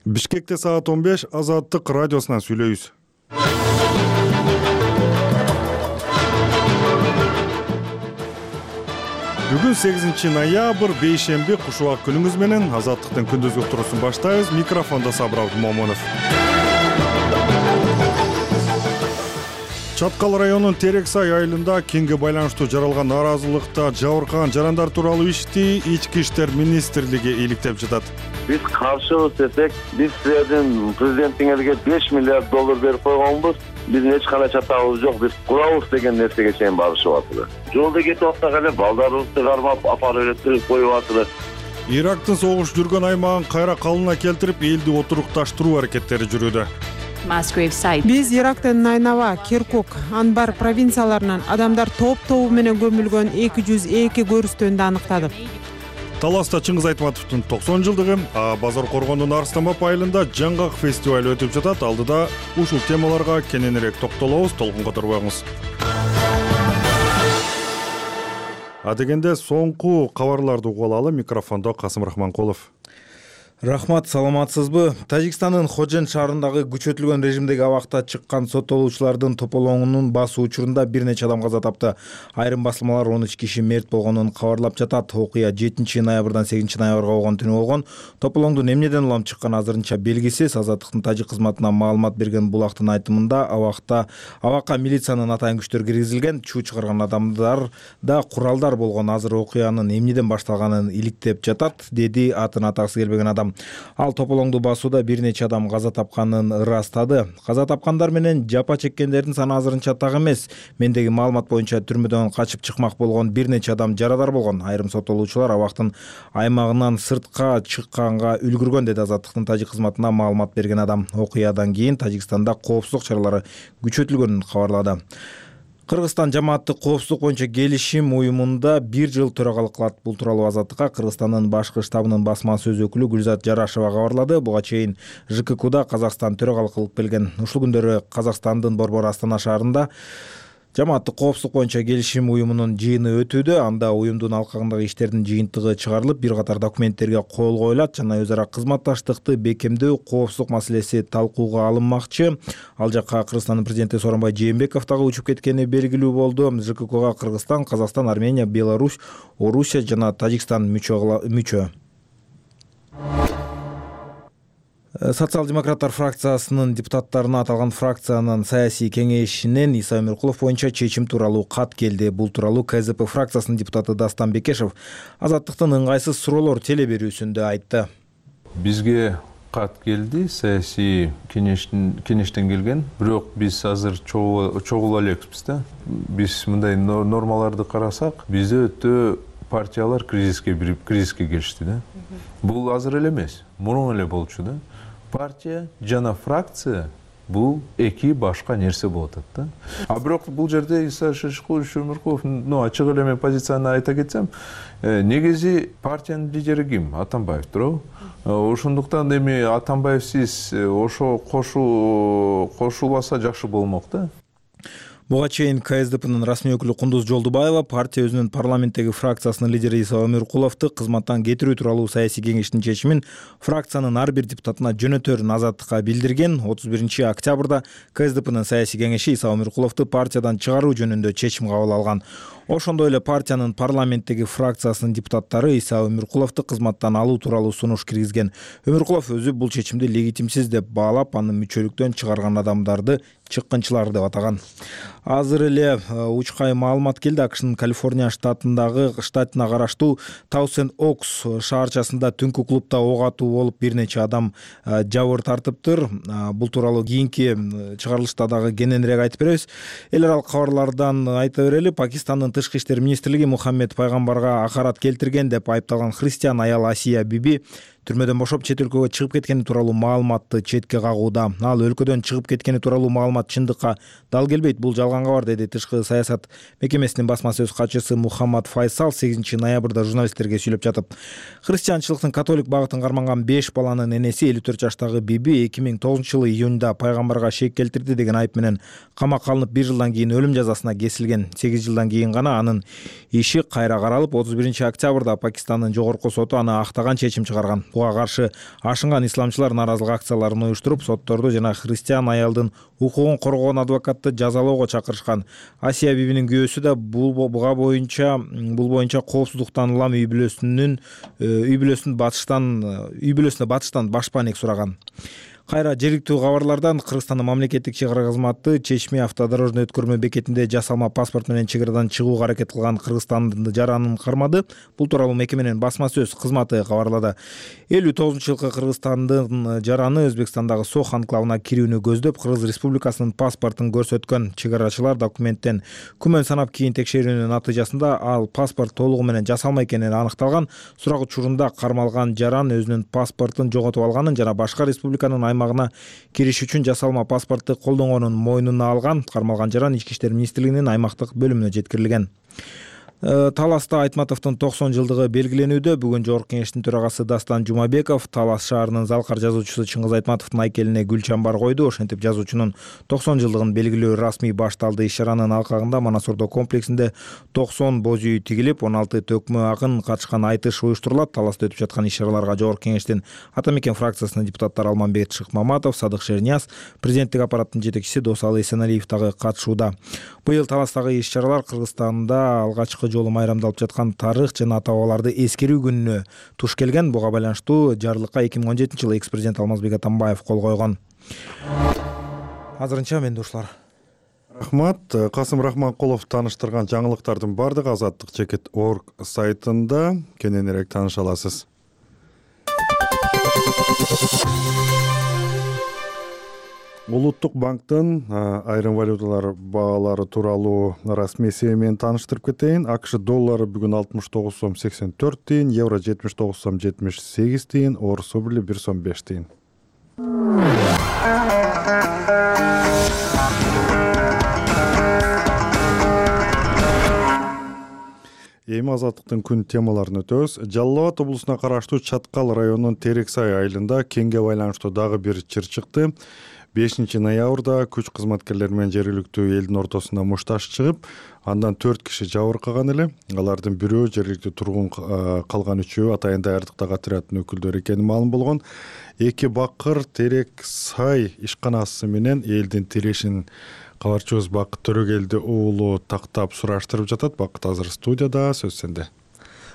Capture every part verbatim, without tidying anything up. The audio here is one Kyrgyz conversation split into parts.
Бишкекте саат он беш Азаттык радиосунан сүйлөйбүз. Бүгүн сегизинчи ноябрь бейшемби куш убак күнүңүз менен Азаттыктын күндүзгү уктуруусун баштайбыз. Микрофондо Сабыр Момунов. Чаткал районунун Терек Сай айылында кеңге байланыштуу жаралган нааразылыкта жабыркаган жарандар тууралуу ишти Ички иштер министрлиги иликтеп жатат. Биз каршыбыз десек, биз силердин президентиңерге беш миллиард доллар берип койгонбуз. Биздин эч кандай чатагыбыз жок. Биз курабыз деген нерсеге чейин барышып атышат. Жолдо кетип атсак эле балдарыбызды кармап апарып эле коюп атышат. Ирактын согуш жүргөн аймагын кайра калыбына келтирип, элди отурукташтыруу аракеттери жүрүүдө. Биз Ирактын Найнава, Киркук, Анбар провинцияларынан адамдар топ-тобу менен көмүлгөн эки жүз эки көрүстөндү аныктадык. Таласта Чыңгыз Айтматовдун токсон жылдыгы, а Базар Коргондун Арстамап айылында жаңгак фестиваль өтүп жатат. Алдыда ушул темаларга кененирээк токтолобуз, толкунга турбаңыз. А дегенде соңку кабарларды угуп алалы. Микрофондо Касым Рахманкулов. Рахмат, саламатсызбы? Тажикстандын Ходжен шаарындагы күчөтүлгөн режимдеги абакта чыккан соттолуучулардын тополоңунун басуу учурунда бир нече адам каза тапты. Айрым басылмалар он үч киши мерт болгонун кабарлап жатат. Окуя жетинчи ноябрдан сегизинчи ноябрга болгон түнү болгон. Тополоңдун эмнеден улам чыкканы азырынча белгисиз. Азаттыктын тажик кызматына маалымат берген булактын айтымында абакта абакка милициянын атайын күчтөр киргизилген, чуу чыгарган адамдар да куралдар болгон. Азыр окуянын эмнеден башталганын иликтеп жатат, деди атын атагысы келбеген адам. Ал тополоңду басууда бир нече адам каза тапканын ырастады. Каза тапкандар менен жапа чеккендердин саны азырынча так эмес. Мендеги маалымат боюнча түрмөдөн качып чыкмак болгон бир нече адам жарадар болгон. Айрым соттолуучулар абактын аймагынан сыртка чыкканга үлгүргөн, деди Азаттыктын тажик кызматына маалымат берген адам. Окуядан кийин Тажикстанда коопсуздук чаралары күчөтүлгөнүн кабарлады. Кыргызстан жамааттык коопсуздук боюнча келишим уюмунда бир жыл төрагалык кылат. Бул тууралуу Азаттыкка Кыргызстандын башкы штабынын басма сөз өкүлү Гүлзат Жарашева кабарлады. Буга чейин ЖККда Казакстан төрагалык кылып келген. Ушул күндөрү Казакстандын Борбор Астана шаарында жамааттык коопсуздук боюнча келишим уюмунун жыйыны өтүүдө. Анда уюмдун алкагындагы иштердин жыйынтыгы чыгарылып, бир катар документтерге кол коюлат жана өз ара кызматташтыкты бекемдөө, коопсуздук маселеси талкууга алынмакчы. Ал жакка Кыргызстандын президенти Сооронбай Жээнбеков дагы учуп кеткени белгилүү болду. ЖККга Кыргызстан, Казакстан, Армения, Беларусь, Орусия жана Тажикстан мүчө. Социал-демократтар фракциясынын депутаттарына аталган фракциянын саясий кеңешинен Иса Өмүркулов боюнча чечим тууралуу кат келди. Бул тууралуу КЗП фракциясынын депутаты Дастан Бекешев Азаттыктын ыңгайсыз суроолор теле берүүсүндө айтты. Бизге кат келди, саясий кеңештен кеңештен келген, бирок биз азыр чогула элекпиз да. Биз мындай нормаларды карасак, бизде өтө партиялар кризиске бирип, кризиске келишти да. Бул азыр эле эмес, мурун эле болчу да. Партия жана фракция бул эки башка нерсе болот да. А бирок бул жерде Иса Өмүркулов, ну ачык эле мен позицияны айта кетсем, негизи партиянын лидери ким? Атамбаев туурабы? Ошондуктан эми Атамбаевсиз ошо кошу кошулбаса жакшы болмок да. Буга чейин КСДПнын расмий өкүлү Кундуз Жолдубаева партия өзүнүн парламенттеги фракциясынын лидери Иса Өмүркуловду кызматтан кетирүү тууралуу саясий кеңештин чечимин фракциянын ар бир депутатына жөнөтөрүн Азаттыкка билдирген. отуз биринчи октябрда КСДПнын саясий кеңеши Иса Өмүркуловду партиядан чыгаруу жөнүндө чечим кабыл алган. Ошондой эле партиянын парламенттеги фракциясынын депутаттары Иса Өмүркуловду кызматтан алуу тууралуу сунуш киргизген. Өмүркулов өзү бул чечимди легитимсиз деп баалап, аны мүчөлүктөн чыгарган адамдарды чыккынчылар деп атаган. Азыр эле учкай маалымат келди. АКШнын Калифорния штатындагы штатына караштуу Таусен-Окс шаарчасында түнкү клубда ок атуу болуп бир нече адам жабыр тартыптыр. Бул тууралуу кийинки чыгарылышта дагы кененирээк айтып беребиз. Эл аралык кабарлардан айта берели. Пакистандын тышкы иштер министрлиги Мухаммед пайгамбарга акарат келтирген деп айыпталган христиан аял Асия Биби түрмөдөн бошоп чет өлкөгө чыгып кеткени тууралуу маалыматты четке кагууда. Ал өлкөдөн чыгып кеткени тууралуу маалымат чындыкка дал келбейт, бул жалган кабар, деди тышкы саясат мекемесинин басма сөз катчысы Мухаммад Файсал сегизинчи ноябрда журналисттерге сүйлөп жатып. Христианчылыктын католик багытын карманган беш баланын энеси элүү төрт жаштагы Биби эки миң тогузунчу жылы июнда пайгамбарга шек келтирди деген айып менен камакка алынып бир жылдан кийин өлүм жазасына кесилген. сегиз жылдан кийин гана анын иши кайра каралып, отуз биринчи октябрда Пакистандын жогорку соту аны актаган чечим чыгарган. буга каршы ашынган исламчылар нааразылык акцияларын уюштуруп, сотторду жана христиан аялдын укугун коргоон адвокатты жазалоого чакырышкан. Асия бибинин күйөөсү да буга боюнча бул боюнча коопсуздуктан улам үй бүлөсүнүн үй бүлөсүн батыштан үй бүлөсүнө батыштан баш паник сураган. Кайра жергиликтүү кабарлардан Кыргызстандын мамлекеттик чек ара кызматы Чечме автодорожный өткөрмө бекетинде жасалма паспорт менен чек арадан чыгууга аракет кылган кыргызстандын жаранын кармады. Бул тууралуу мекеменин басма сөз кызматы кабарлады. элүү тогузунчу жылкы Кыргызстандын жараны Өзбекстандагы Сох анклавына кирүүнү көздөп, Кыргыз Республикасынын паспортун көрсөткөн. Чек арачылар документтен күмөн санап кийин текшерүүнүн натыйжасында ал паспорт толугу менен жасалма экени аныкталган. Сурак учурунда кармалган жаран өзүнүн паспортун жоготуп алганын жана башка республиканын аймагына кириш үчүн жасалма паспортты колдонгонун мойнуна алган. Кармалган жаран Ички иштер министрлигинин аймактык бөлүмүнө жеткирилген. Таласта Айтматовдун токсон жылдыгы белгиленүүдө. Бүгүн Жогорку кеңештин төрагасы Дастан Жумабеков Талас шаарынын Залкар жазуучусу Чыңгыз Айтматовдун айкелине гүл чамбар койду. Ошентип жазуучунун токсон жылдыгын белгилөө расмий башталды. Иш-чаранын алкагында Манас Ордо комплексинде токсон боз үй тигилип, он алты төкмө акын катышкан айтыш уюштурулат. Таласта өтүп жаткан иш-чараларга Жогорку кеңештин Ата мекен фракциясынын депутаттары Алмамбет Шыкмаматов, Садык Шернияз, президенттик аппараттын жетекчиси Досалы Эсеналиев дагы катышууда. Быйыл Таластагы иш-чаралар Кыргызстанда алгачкы жолу майрамдалып жаткан тарых жана ата-бабаларды эскерүү күнүнө туш келген. Буга байланыштуу жарлыкка эки миң он жетинчи жылы экс-президент Алмазбек Атамбаев кол койгон. Азырынча менде ушулар. Рахмат. Касым Рахманкулов тааныштырган жаңылыктардын бардыгы азаттык чекит точка орг сайтында. Кененирээк тааныша аласыз. Улуттук банктын айрым валюталар баалары тууралуу расмий эсеби менен тааныштырып кетейин. АКШ доллары бүгүн алтымыш тогуз сом сексен төрт тыйын, евро жетимиш тогуз сом жетимиш сегиз тыйын, орус рубли бир сом беш тыйын. Эми азаттыктын күн темаларын өтөбүз. Жалал Абад облусуна караштуу Чаткал районунун Терексай айылында кеңге байланыштуу дагы бир чыр чыкты. бешинчи ноябрда күч кызматкерлери менен жергиликтүү элдин ортосуна мушташ чыгып, андан төрт киши жабыркаган эле. Алардын бирөө жергиликтүү тургун, калган үчөө Атайын даярдыктагы отряддын өкүлдөрү экени маалым болгон. Эки бакыр Терексай ишканасы менен элдин тирешин кабарчыбыз Бакыт Төрөгелди уулу тактап сураштырып жатат. Бакыт азыр студияда, сөз сенде.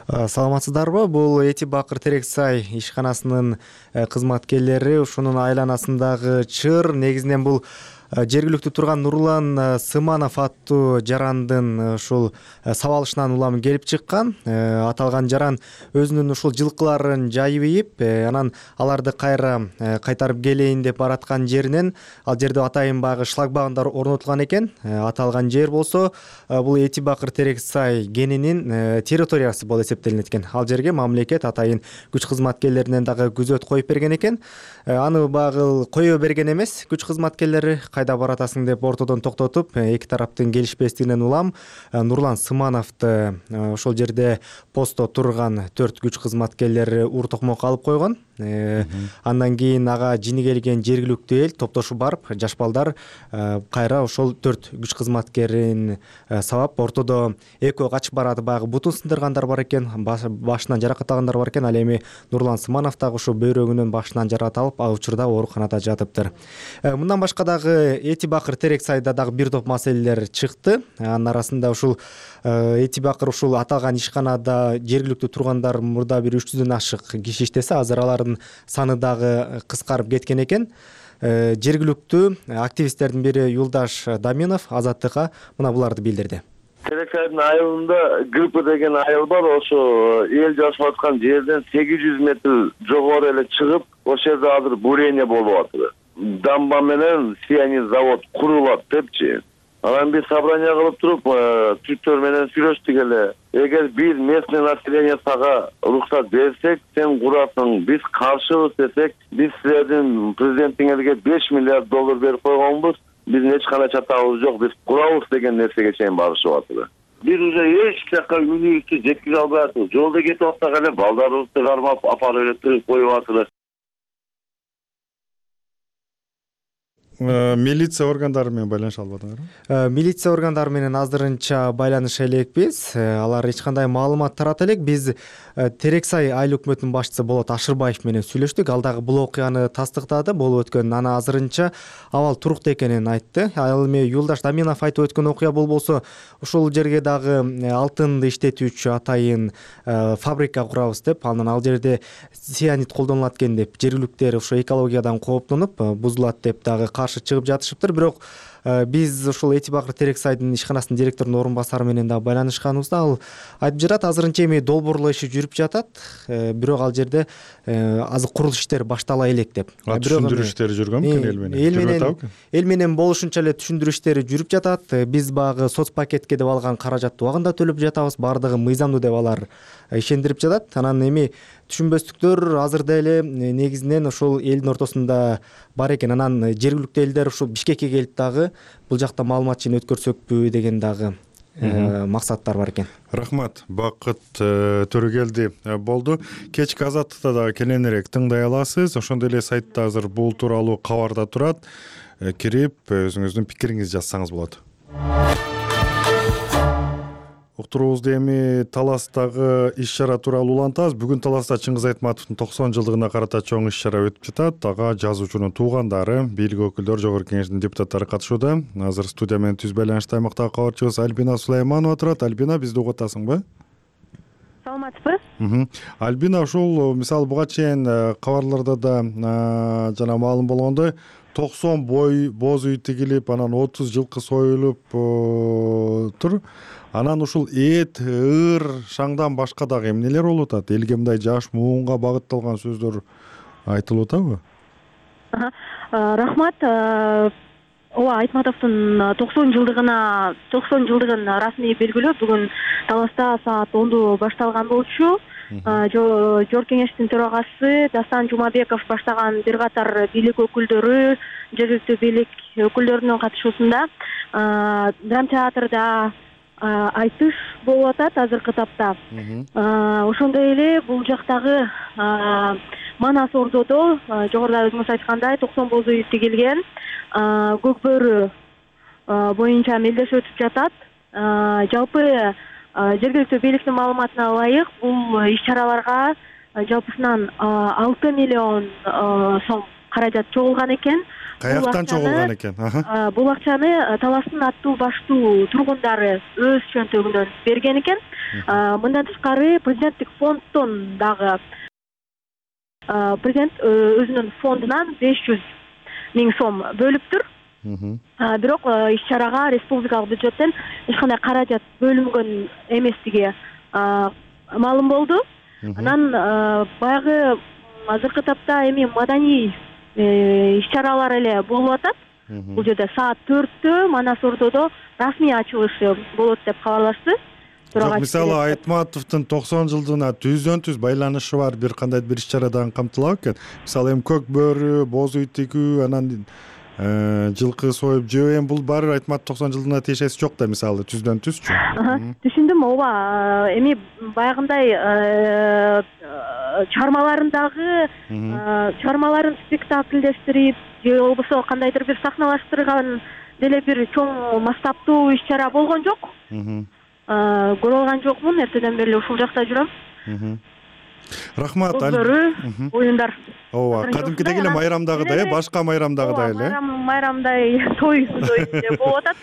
Саламатсыздарбы? Бул Эти Бакыр Терексай ишканасынын кызматкерлери ушунун айланасындагы чыр. Негизинен бул жергиликтүү турган Нурлан Сыманов аттуу жарандын ушул сабалышынан улам келип чыккан. Аталган жаран өзүнүн ушул жылкыларын жайып, анан аларды кайра кайтарып келейин деп бараткан жеринен ал жерде атайын багы шлагбаундар орнотулган экен. Аталган жер болсо бул Эти Бакыр Терексай кенинин территориясы болуп эсептелинет экен. Ал жерге мамлекет атайын күч кызматкерлеринен дагы күзөт коюп берген экен. Аны багыл кое берген эмес. Күч кызматкерлери кайда баратасың деп ортодон токтотуп, эки тараптын келишпестигинен улам Нурлан Сымановду ошол жерде постто турган төрт күч кызматкерлери ур токмокко алып койгон. Андан кийин ага жини келген жергиликтүү эл топтошуп барып, жаш балдар кайра ошол төрт күч кызматкерин сабап, ортодо экөө качып барат, багы бутун сындыргандар бар экен, башынан жаракат алгандар бар экен. Ал эми Нурлан Сыманов дагы ошо бөйрөгүнөн башынан жаракат алып, ал учурда ооруканада жатыптыр. Мындан башка дагы Эти Бакыр Терексайда дагы бир топ маселелер чыкты. Анын арасында ушул Эти Бакыр ушул аталган ишканада жергиликтүү тургандар мурда бир үч жүздөн ашык киши иштесе, азыр алардын саны дагы кыскарып кеткен экен. Жергиликтүү активисттердин бири Юлдаш Даминов Азаттыкка мына буларды билдирди. Терексайдын айылында Гриппа деген айыл бар. Ошо эл жашап аткан жерден сегиз жүз метр жогору эле чыгып, ошол жерде азыр бурение болуп атат. Дамба менен сиянин завод курулат депчи. Анан биз собрание кылып туруп, түттөр менен сүйлөштүк эле. Эгер бир местный население сага уруксат берсек, сен курасың, биз каршыбыз десек, биз силердин президентиңерге беш миллиард доллар берип койгонбуз. Биздин эч кандай чатагыбыз жок, биз курабыз деген нерсеге чейин барышып атат. Биз уже эч жака үнүбүздү жеткизе албай атабыз. Жолдо кетип атсак эле балдарыбызды кармап, апарып эле тыгып коюп атат. милиция органдары менен байланыша албадыңарбы? Милиция органдары менен азырынча байланыша элекпиз. Алар эч кандай маалымат тарата элек. Биз Терексай айыл өкмөтүнүн башчысы Болот Ашырбаев менен сүйлөштүк. Ал дагы бул окуяны тастыктады. Болуп өткөн аны азырынча абал туруктуу экенин айтты. Ал эми Юлдаш Даминов айтып өткөн окуя болбосо ушул жерге дагы алтынды иштетүүчү атайын фабрика курабыз деп, анан ал жерде цианид колдонулат экен деп жергиликтер ошо экологиядан кооптонуп бузулат деп дагы каршы чыгып жатышыптыр. Бирок биз ушул Эти Бакыр Терексайдын ишканасынын директорунун орун басары менен дагы байланышканыбызда ал айтып жатат, азырынча эми долбоорлоо иши жүрүп жатат, бирок ал жерде азыр курулуш иштери баштала элек деп. Түшүндүрүү иштери жүргөн экен эл менен. Эл менен эл менен болушунча эле түшүндүрүү иштери жүрүп жатат. Биз багы соц пакетке деп алган каражатты убагында төлөп жатабыз, баардыгы мыйзамдуу деп алар ишендирип жатат. Анан эми түшүнбөстүктөр азырда эле негизинен ошол элдин ортосунда бар экен. Анан жергиликтүү элдер ушул Бишкекке келип дагы бул жакта маалымат жыйын өткөрсөкпү деген дагы максаттар бар экен. Рахмат, Бакыт Төрөгелди болду. Кечки азаттыкта дагы кененирээк тыңдай аласыз. Ошондой эле сайтта азыр бул тууралуу кабар да турат. Кирип өзүңүздүн пикириңизди жазсаңыз болот. Уктуруубузду эми Таластагы иш-чара тууралуу улантабыз. Бүгүн Таласта Чыңгыз Айтматовдун токсон жылдыгына карата чоң иш-чара өтүп жатат. Ага жазуучунун туугандары, бийлик өкүлдөрү, Жогорку Кеңештин депутаттары катышууда. Азыр студия менен түз байланышта аймактагы кабарчыбыз Альбина Сулайманова турат. Альбина, бизди угуп атасыңбы? Саламатсызбы? Альбина, ушул мисалы буга чейин кабарларда да жана маалым болгондой токсон бой боз үй тигилип, анан отуз жылкы союлуп тур. Анан ушул эт, ыр, шаңдан башка дагы эмнелер болуп атат? Элге мындай жаш муунга багытталган сөздөр айтылып атабы? Рахмат. Ооба, Айтматовдун токсон жылдыгына токсон жылдыгын расмий белгилөө бүгүн Таласта саат онду башталган болчу. Жогорку Кеңештин төрагасы Дастан Жумабеков баштаган бир катар бийлик өкүлдөрү, жергиликтүү бийлик өкүлдөрүнүн катышуусунда драм театрда айтыш болуп атат азыркы тапта. Ошондой эле бул жактагы Манас Ордодо жогоруда өзүңүз айткандай токсон боз үй тигилген, көк бөрү боюнча мелдеш өтүп жатат. Жалпы жергиликтүү бийликтин маалыматына ылайык бул иш-чараларга жалпысынан алты миллион сом каражат чогулган экен. Каяктан чогулган экен? Бул акчаны Таластын аттуу баштуу тургундары өз чөнтөгүнөн берген экен. Мындан тышкары президенттик фонддон дагы президент өзүнүн фондунан беш жүз миң сом бөлүптүр. Бирок иш-чарага республикалык бюджеттен эч кандай каражат бөлүнгөн эместиги маалым болду. Анан баягы азыркы тапта эми маданий иш-чаралар эле болуп атат. Бул жерде саат төрттө Манас Ордодо расмий ачылышы болот деп кабарлашты. Жок, мисалы Айтматовдун токсон жылдыгына түздөн түз байланышы бар бир кандай бир иш-чарадан камтылабы экен? Мисалы эми көк бөрү, боз үй тигүү, анан жылкы союп жөө, эми бул баары Айтматов токсон жылдыгына тиешеси жок да, мисалы түздөн түзчү. Түшүндүм, ооба. Эми баягындай чыгармаларындагы чыгармаларын спектакльдештирип же болбосо кандайдыр бир сахналаштырган деле бир чоң масштабтуу иш-чара болгон жок. Көрө алган жокмун, эртеден бери ушул жакта жүрөм. Рахмат. Көкбөрү оюндар. Ооба, кадимкидей эле майрамдагыдай, башка майрамдагыдай эле. Майрамдай той деп болуп атат.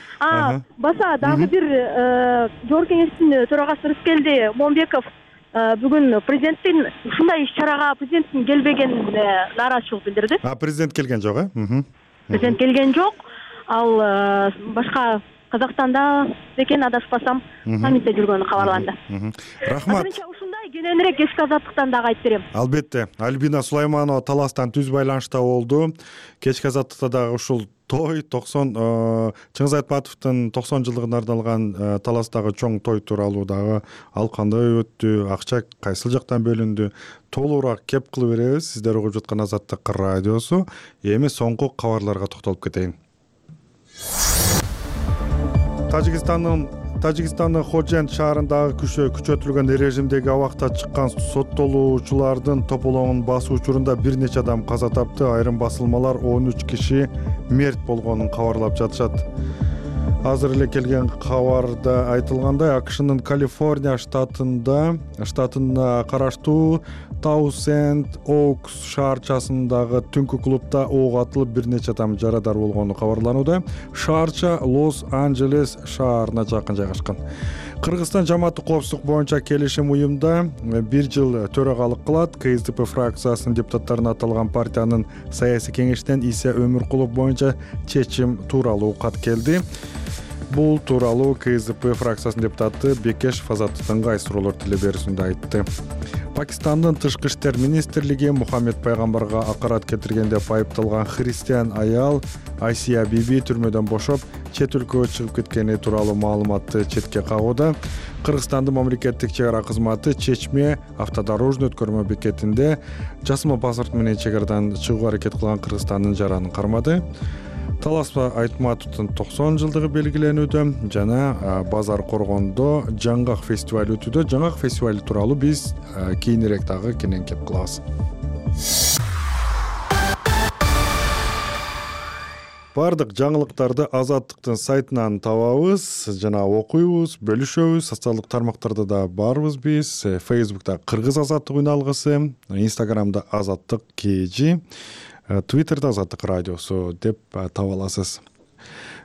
Баса дагы бир Жогорку Кеңештин төрагасы Рыскелди Момбеков бүгүн президенттин ушундай иш-чарага президенттин келбегенине нааразычылык билдирди. А, президент келген жок, э? Президент келген жок. Ал башка Казакстанда экен, адашпасам, саммитте жүргөнү кабарланды. Рахмат. Азырынча ушундай кененирээк кечки азаттыктан дагы айтып берем. Албетте. Альбина Сулайманова Таластан түз байланышта болду. Кечки азаттыкта дагы ушул той токсон Чыңгыз Айтматовдун токсон жылдыгына арналган Таластагы чоң той тууралуу дагы ал кандай өттү, акча кайсыл жактан бөлүндү, толугураак кеп кылып беребиз. Сиздер угуп жаткан Азаттык радиосу. Эми соңку кабарларга токтолуп кетейин. Тажикстандын Тажикстандын Ходжент шаарындагы күчөтүлгөн режимдеги абакта чыккан соттолуучулардын тополоңун басуу учурунда бир нече адам каза тапты. Айрым басылмалар он үч киши мерт болгонун кабарлап жатышат. Азыр эле келген кабарда айтылгандай, АКШнын Калифорния штатында штатына караштуу Таусенд Оукс шаарчасындагы түнкү клубда ок атылып бир нече адам жарадар болгону кабарланууда. Шаарча Лос-Анджелес шаарына жакын жайгашкан. Кыргызстан жамааттык коопсуздук боюнча келишим уюмда бир жыл төрагалык кылат. КСДП фракциясынын депутаттарына аталган партиянын саясий кеңешинен Иса Өмүркулов боюнча чечим тууралуу кат келди. Бул тууралуу КСДП фракциясынын депутаты Бекешев Азаттыктын кайсы суроолор тиле берүүсүндө айтты. Пакистандын тышкы иштер министрлиги Мухаммед пайгамбарга акарат кетирген деп айыпталган христиан аял Айсия Биби түрмөдөн бошоп, чет өлкөгө чыгып кеткени тууралуу маалыматты четке кагууда. Кыргызстандын мамлекеттик чек ара кызматы Чечме автодорожный өткөрмө бекетинде жасырма паспорт менен чек арадан чыгууга аракет кылган Кыргызстандын жаранын кармады. Таласпа Айтматовдун токсон жылдыгы белгиленүүдө жана Базар Коргондо жаңгак фестивалы өтүүдө. Жаңгак фестивалы тууралуу биз кийинирээк дагы кенен кеп кылабыз. Бардык жаңылыктарды Азаттыктын сайтынан табабыз жана окуйбуз, бөлүшөбүз. Социалдык тармактарда да барбыз биз. Facebook'та Кыргыз Азаттык үналгысы, Instagram'да Азаттык КЖ, Twitter'да Азаттык радиосу деп таба аласыз.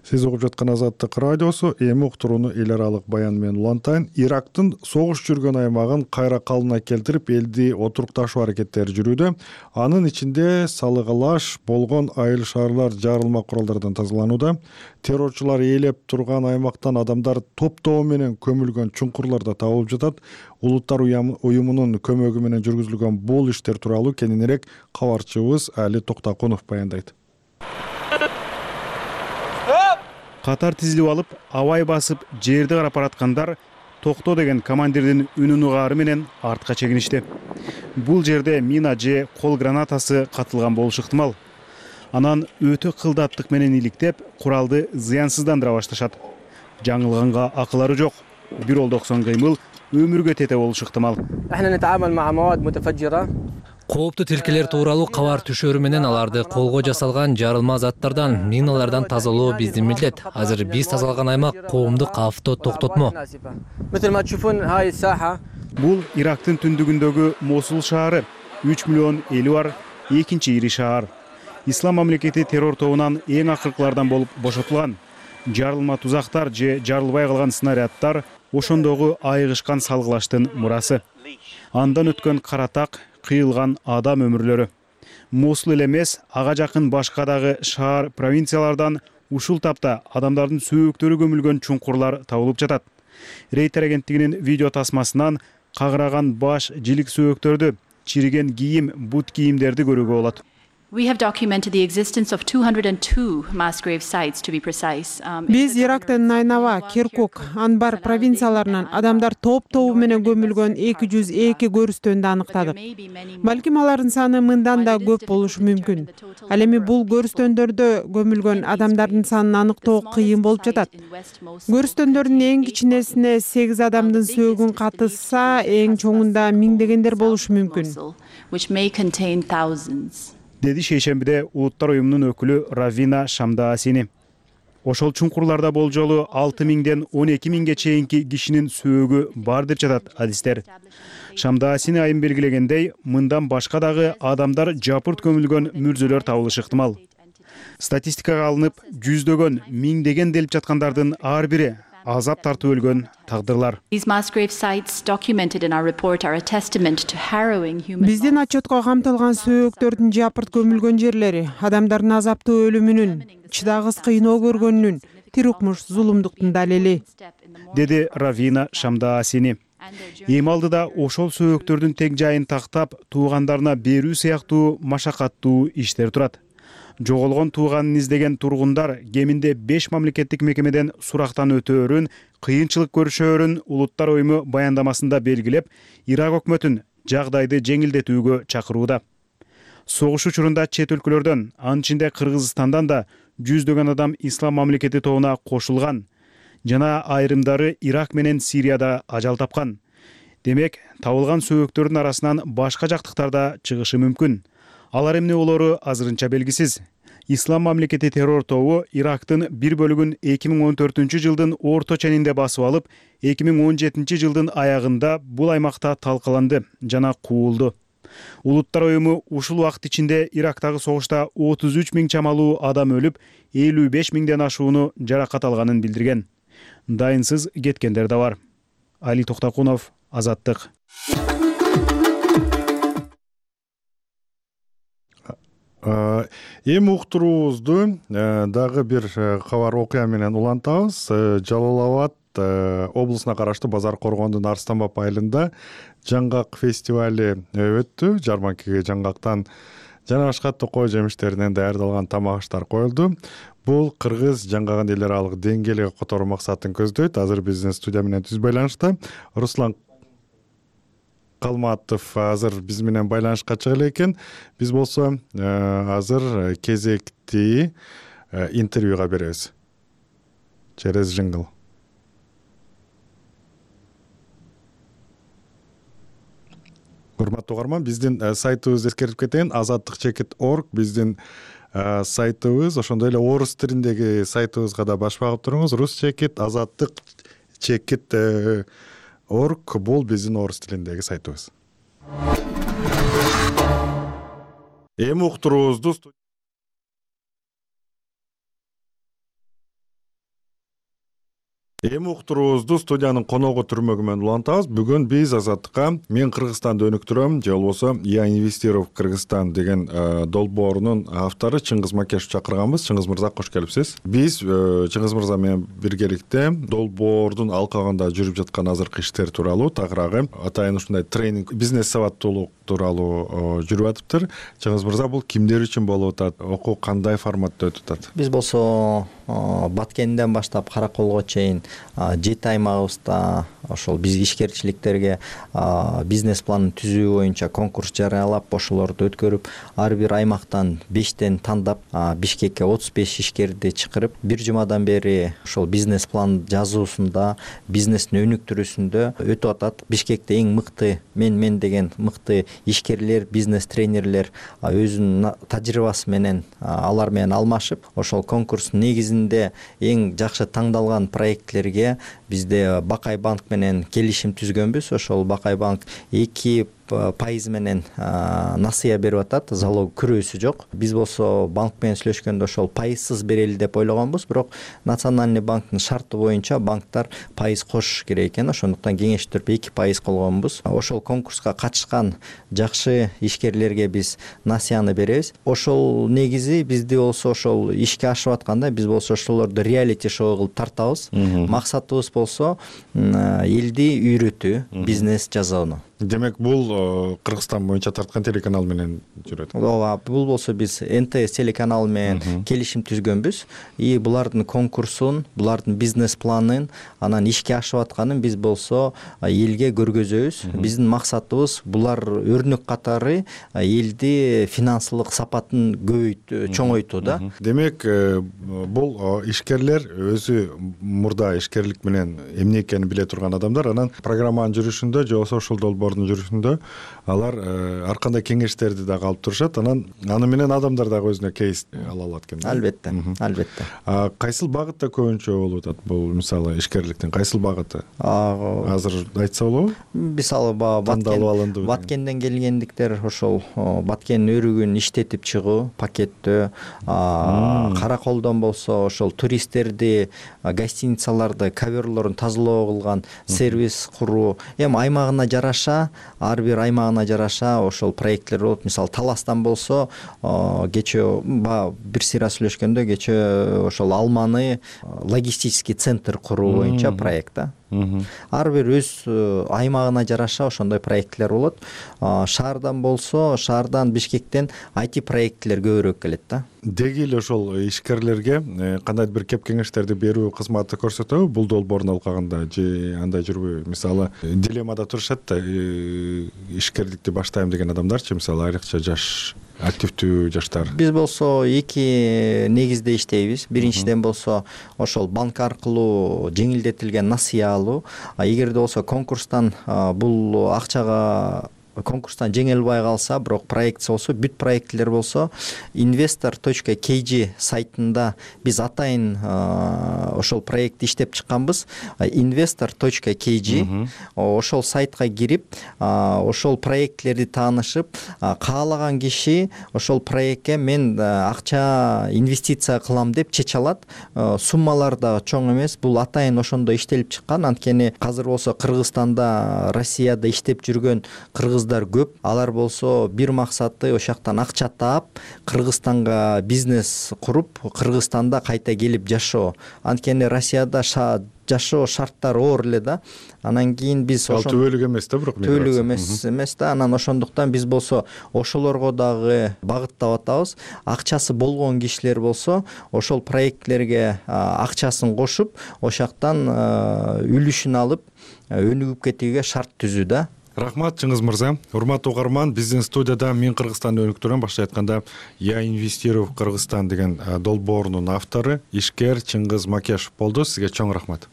Сиз угуп жаткан Азаттык радиосу. Эми уктурууну эл аралык баян менен улантайын. Ирактын согуш жүргөн аймагын кайра калыбына келтирип, элди отурукташуу аракеттери жүрүүдө. Анын ичинде салыгалаш болгон айыл шаарлар жарылма куралдардан тазаланууда. Террорчулар ээлеп турган аймактан адамдар топ-тобу менен көмүлгөн чуңкурларда табылып жатат. Улуттар уюмунун көмөгү менен жүргүзүлгөн бул иштер тууралуу кененирээк кабарчыбыз Али Токтокунов баяндайт. Катар тизилип алып, абай басып, жерди карап бараткандар токто деген командирдин үнүн угаары менен артка чегиништи. Бул жерде мина же кол гранатасы катылган болушу ыктымал. Анан өтө кылдаттык менен иликтеп, куралды зыянсыздандыра башташат. Жаңылганга акылары жок. Бир олдоксон кыймыл өмүргө тете болушу ыктымал. Кооптуу тилкелер тууралуу кабар түшөрү менен аларды колго жасалган жарылма заттардан, миналардан тазалоо биздин милдет. Азыр биз тазалган аймак коомдук авто токтотмо. Бул Ирактын түндүгүндөгү Мосул шаары, үч миллион эли бар экинчи ири шаар. Ислам мамлекети террор тобунан эң акыркылардан болуп бошотулган. Жарылма тузактар же жарылбай калган снаряддар ошондогу айыгышкан салгылаштын мурасы. Андан өткөн каратак, кыйылган адам өмүрлөрү. Мосул эле эмес, ага жакын башка дагы шаар, провинциялардан ушул тапта адамдардын сөөктөрү көмүлгөн чуңкурлар табылып жатат. Рейтер агенттигинин видео тасмасынан кагыраган баш, жилик сөөктөрдү, чириген кийим, бут кийимдерди көрүүгө болот. We have documented the existence of two hundred two mass grave sites, to be precise. Биз Ирактын Найнава, Киркук, Анбар провинцияларынан адамдар топ-тобу менен көмүлгөн эки жүз эки көрүстөндү аныктадык. Балким алардын саны мындан да көп болушу мүмкүн. Ал эми бул көрүстөндөрдө көмүлгөн адамдардын санын аныктоо кыйын болуп жатат. Көрүстөндөрдүн эң кичинесине сегиз адамдын сөөгүн катышса, эң чоңунда миңдегендер болушу мүмкүн. Which may contain thousands. Деди шейшембиде улуттар уюмунун өкүлү Равина Шамдаасини. Ошол чуңкурларда болжолу алты миңден он эки миңге чейинки кишинин сөөгү бар деп жатат адистер. Шамдаасини айым белгилегендей, мындан башка дагы адамдар жапырт көмүлгөн мүрзөлөр табылышы ыктымал. Статистикага алынып, жүздөгөн, миңдеген делип жаткандардын ар бири азап тартып өлгөн тагдырлар. These mass grave sites documented in our report are a testament to harrowing human. Биздин отчетко камтылган сөөктөрдүн жапырт көмүлгөн жерлери адамдардын азаптуу өлүмүнүн, чыдагыс кыйноо көргөнүнүн, тирукмуш зулумдуктун далили, деди Равина Шамдаасини. Эми алдыда ошол сөөктөрдүн тең жайын тактап, туугандарына берүү сыяктуу машакаттуу иштер турат. Жоголгон тууганын издеген тургундар кеминде беш мамлекеттик мекемеден сурактан өтөөрүн, кыйынчылык көрүшөөрүн улуттар уюму баяндамасында белгилеп, Ирак өкмөтүн жагдайды жеңилдетүүгө чакырууда. Согуш учурунда чет өлкөлөрдөн, анын ичинде Кыргызстандан да жүздөгөн адам ислам мамлекети тобуна кошулган жана айрымдары Ирак менен Сирияда ажал тапкан. Демек, табылган сөөктөрдүн арасынан башка жактыктар да чыгышы мүмкүн. Алар эмне болору азырынча белгисиз. Ислам мамлекети террор тобу Ирактын бир бөлүгүн эки миң он төртүнчү жылдын орто ченинде басып алып, эки миң он жетинчи жылдын аягында бул аймакта талкаланды жана куулду. Улуттар уюму ушул убакыт ичинде Ирактагы согушта отуз үч миң чамалуу адам өлүп, элүү беш миңден ашууну жаракат алганын билдирген. Дайынсыз кеткендер да бар. Али Токтакунов, Азаттык. Эми уктуруубузду дагы бир кабар окуя менен улантабыз. Жалал абад облусуна караштуу Базар Коргондун Арстанбап айылында жаңгак фестивали өттү. Жарманкеге жаңгактан жана башка токой жемиштеринен даярдалган тамак аштар коюлду. Бул кыргыз жаңгагын эл аралык деңгээлге которуу максатын көздөйт. Азыр биздин студия менен түз байланышта Руслан Калматов азыр биз менен байланышка чыга элек экен. Биз болсо азыр кезекти интервьюга беребиз. Через жингл. Урматтуу угарман, биздин сайтыбызды эскертип кетейин. азаттык чекит точка орг биздин сайтыбыз, ошондой эле орус тилиндеги сайтыбызга да баш багып туруңуз. Рус чекит, азаттык чекит орг бул биздин орус тилиндеги сайтыбыз. Эми уктуруубузду Эми уктуруубузду студиянын коногу түрмөгү менен улантабыз. Бүгүн биз Азаттыкка мен Кыргызстанды өнүктүрөм, же болбосо Я инвестирую в Кыргызстан деген долбоорунун автору Чыңгыз Макешов чакырганбыз. Чыңгыз мырза, кош келипсиз. Биз Чыңгыз мырза менен биргеликте долбоордун алкагында жүрүп жаткан азыркы иштер тууралуу, тагыраагы атайын ушундай тренинг, бизнес сабаттуулук тууралуу жүрүп атыптыр. Чыңгыз мырза, бул кимдер үчүн болуп атат? Окуу кандай форматта өтүп атат? Биз болсо Баткенден баштап Караколго чейин жети аймагыбызда ошол биз ишкерчиликтерге бизнес планын түзүү боюнча конкурс жарыялап, ошолорду өткөрүп, ар бир аймактан бештен тандап, Бишкекке отуз беш ишкерди чакырып, бир жумадан бери ошол бизнес план жазуусунда, бизнестин өнүктүрүүсүндө өтүп атат. Бишкекте эң мыкты мен мен деген мыкты ишкерлер, бизнес тренерлер өзүнүн тажрыйбасы менен алар менен алмашып, ошол конкурстун негизинде эң жакшы таңдалган проектлерге бизде Бакай банк менен келишим түзгөнбүз. Ошол Бакай банк эки пайыз менен насыя берип атат, залог күрөөсү жок. Биз болсо банк менен сүйлөшкөндө ошол пайызсыз берели деп ойлогонбуз, бирок Национальный банктын шарты боюнча банктар пайыз кошуш керек экен, ошондуктан кеңештип эки пайыз колгонбуз. Ошол конкурска катышкан жакшы ишкерлерге биз насыяны беребиз. Ошол негизи бизди болсо ошол ишке ашып атканда биз болсо ошолорду реалити шоу кылып тартабыз. Максатыбыз болсо элди үйрөтүү, бизнес жасоону. Демек, бул Кыргызстан боюнча тарткан телеканал менен жүрөт. Ооба, бул болсо биз Эн Тэ Эс телеканалы менен келишим түзгөнбүз. И булардын конкурсун, булардын бизнес планын, анан ишке ашып атканын биз болсо элге көргөзөбүз. Биздин максатыбыз булар өрнөк катары элди финансылык сапатын көбөйтүү, чоңойтуу да. Демек, бул ишкерлер өзү мурда ишкерлик менен эмне экенин биле турган адамдар, анан программанын жүрүшүндө же болбосо ушул долбоор жүрүшүндө алар ар кандай кеңештерди дагы алып турушат. Анан аны менен адамдар дагы өзүнө кейс ала алат экен. Албетте, албетте. Кайсыл багытта көбүнчө болуп атат бул, мисалы, ишкерликтин кайсыл багыты? Азыр айтса болобу? Мисалы, Баткенден келгендиктер ошол Баткендин өрүгүн иштетип чыгуу, пакеттөө, Караколдон болсо ошол туристтерди, гостиницаларды, коверлорун тазалоо кылган сервис куруу. Эми аймагына жараша, ар бир аймагына жараша ошол проекттер болот. Мисалы, Таластан болсо, кечээ бир сыйра сүйлөшкөндө кечээ ошол алманы логистический центр куруу боюнча проект да. Ар бир өз аймагына жараша ошондой проекттер болот. Шаардан болсо, шаардан Бишкектен ай ти проекттер көбүрөөк келет да. Деги эле ошол ишкерлерге кандайдыр бир кеп кеңештерди берүү кызматы көрсөтөбү бул долбоордун алкагында, же андай жүрбөйбү? Мисалы, дилеммада турушат да, ишкерликти баштайм деген адамдарчы, мисалы, айрыкча жаш, активдүү жаштар. Биз болсо эки негизде иштейбиз. Биринчиден болсо ошол банк аркылуу жеңилдетилген насыя алуу. Эгерде болсо конкурстан бул акчага конкурстан жеңе албай калса, бирок проектisi болсо, бүт проектилер болсо investor точка кей джи сайтында биз атайын ошол проектти иштеп чыкканбыз. investor точка кей джи ошол сайтка кирип, ошол проектлерди таанышып, каалаган киши ошол проектке мен акча инвестиция кылам деп чече алат. Суммалар да чоң эмес. Бул атайын ошондо иштелип чыккан. Анткени азыр болсо Кыргызстанда, Россияда иштеп жүргөн кыргыздар көп. Алар болсо бир максаты ошол жактан акча таап, Кыргызстанга бизнес куруп, Кыргызстанда кайта келип жашоо. Анткени Россияда жашоо шарттары оор эле да. Анан кийин биз ошол түбөлүк эмес да, бирок түбөлүк эмес эмес да. Анан ошондуктан биз болсо ошолорго дагы багыттап атабыз. Акчасы болгон кишилер болсо ошол проектлерге акчасын кошуп, ошол жактан үлүшүн алып өнүгүп кетүүгө шарт түзүү да. Рахмат Чыңгыз мырза. Урматтуу угарман, биздин студияда Мен Кыргызстанды өнүктүрөм, башка айтканда Я инвестирую в Кыргызстан деген долбоорунун автору, ишкер Чыңгыз Макешов болду. Сизге чоң рахмат.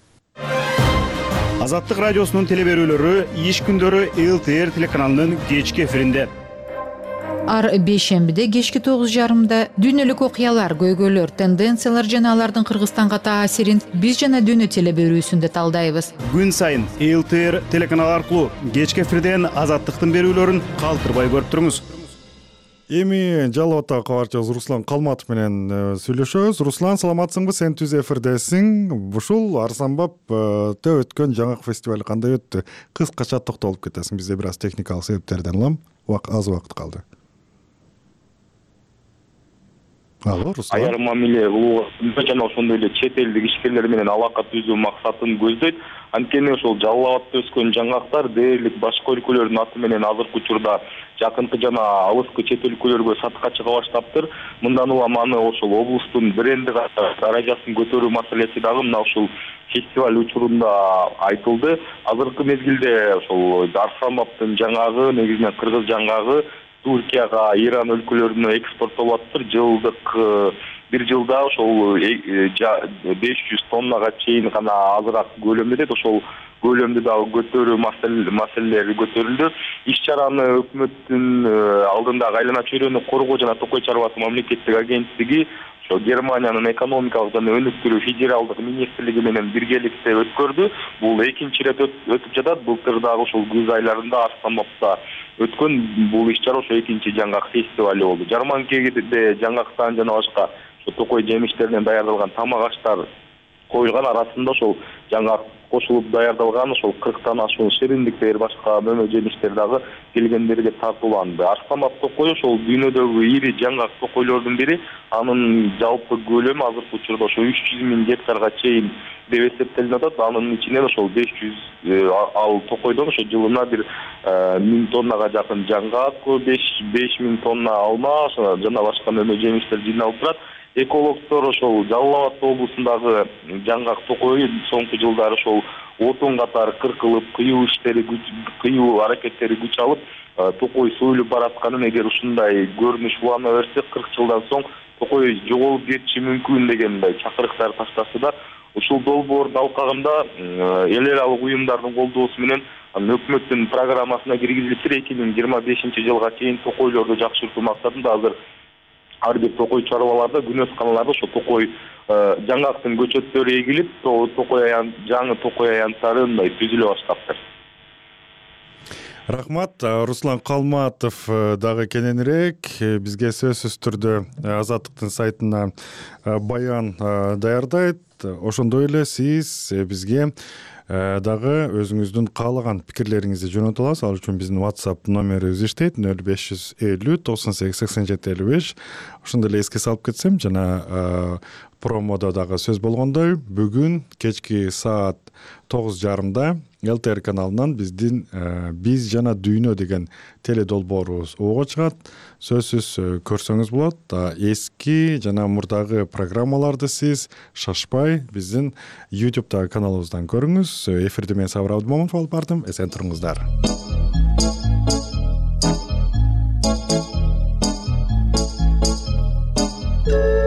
Азаттык радиосунун телеберүүлөрү иш күндөрү эл ти эр телеканалынын кечки эфиринде. Ар бейшембиде кечки тогуз жарымда дүйнөлүк окуялар, көйгөйлөр, тенденциялар жана алардын Кыргызстанга таасирин биз жана дүйнө телеберүүсүндө талдайбыз. Күн сайын эл ти эр телеканалы аркылуу кечки эфирден Азаттыктын берүүлөрүн калтырбай көрүп туруңуз. Эми Жалал Абадтагы кабарчыбыз Руслан Калматов менен сүйлөшөбүз. Руслан, саламатсыңбы? Сен түз эфирдесиң. Ушул Арзанбапта өткөн жаңак фестиваль кандай өттү? Кыскача токтолуп кетесиң. Бизде бир аз техникалык себептерден улам аз убакыт калды. Алло, Руслан. Аяр мамиле кылууга жана ошондой эле чет элдик ишкерлер менен алака түзүү максатын көздөйт. Анткени ошол Жалал Абадта өскөн жаңактар дээрлик башка өлкөлөрдүн аты менен азыркы учурда жакынкы жана алыскы чет өлкөлөргө сатка чыга баштаптыр. Мындан улам аны ошол облустун бренди даражасын көтөрүү маселеси дагы мына ушул фестиваль учурунда айтылды. Азыркы мезгилде ошол Арзанбаптын жаңагы, негизинен кыргыз жаңагы Туркияга, Иран өлкөлөрүнө экспорттолуп атыптыр. Жылдык бир жылда ошол беш жүз тоннага чейин гана азыраак көлөмдө, ошол көлөмдү дагы көтөрүү маселелери көтөрүлдү. Иш чараны өкмөттүн алдындагы айлана чөйрөнү коргоо жана токой чарбасы мамлекеттик агенттиги, ошо Германиянын экономикалык жана өнүктүрүү федералдык министрлиги менен биргеликте өткөрдү. Бул экинчи ирет өтүп жатат. Былтыр дагы ошол күз айларында Арзанбапта өткөн бул иш чара ошо экинчи жаңгак фестивали болду. Жарманкеде жаңгактан жана башка ошо токой жемиштеринен даярдалган тамак аштар коюлган. Арасында ошол жаңгак кошулуп даярдалган ошол кырктан ашуун шириндиктер, башка мөмө жемиштер дагы келгендерге тартууланды. Арзанбап токой ошол дүйнөдөгү ири жаңгак токойлордун бири. Анын жалпы көлөмү азыркы учурда ошо үч жүз миң гектарга чейин деп эсептелип атат. Анын ичинен ошол беш жүз ал токойдон ошо жылына бир миң тоннага жакын жаңгак, беш миң тонна алма жана башка мөмө жемиштер жыйналып турат. Экологдор ошол Жалал Абад облусундагы жаңгак токой соңку жылдары ошол отун катары кыркылып, кыюу иштери, кыюу аракеттери күч алып, токой союлуп баратканын, эгер ушундай көрүнүш улана берсе, кырк жылдан соң токой жоголуп кетиши мүмкүн деген чакырыктар ташташты да. Ушул долбоордун алкагында эл аралык уюмдардын колдоосу менен өкмөттүн программасына киргизилиптир. эки миң жыйырма бешинчи жылга чейин токойлорду жакшыртуу максатында азыр ар бир токой чарбаларда, күнөсканаларда ошо токой жаңгактын көчөттөрү эгилип, токой аян жаңы токой аянттары мындай түзүлө баштаптыр. Рахмат. Руслан Калматов дагы кененирээк бизге сөзсүз түрдө Азаттыктын сайтына баян даярдайт. Ошондой эле сиз бизге дагы өзүңүздүн каалаган пикирлериңизди жөнөтө аласыз. Ал үчүн биздин WhatsApp номерибиз иштейт нөл беш жүз элүү токсон сегиз сексен жети элүү беш. Ошондой эле эске салып кетсем, жана промодо дагы сөз болгондой, бүгүн кечки саат тогуз жарымда эл ти эр каналынан биздин биз жана дүйнө деген теледолбоорубуз ого чыгат. Сөзсүз көрсөңүз болот. Эски жана мурдагы программаларды сиз шашпай биздин YouTube каналыбыздан көрүңүз. Эфирди мен Сабыр Абдымомунов алып бардым. Эсен туруңуздар. Thank you.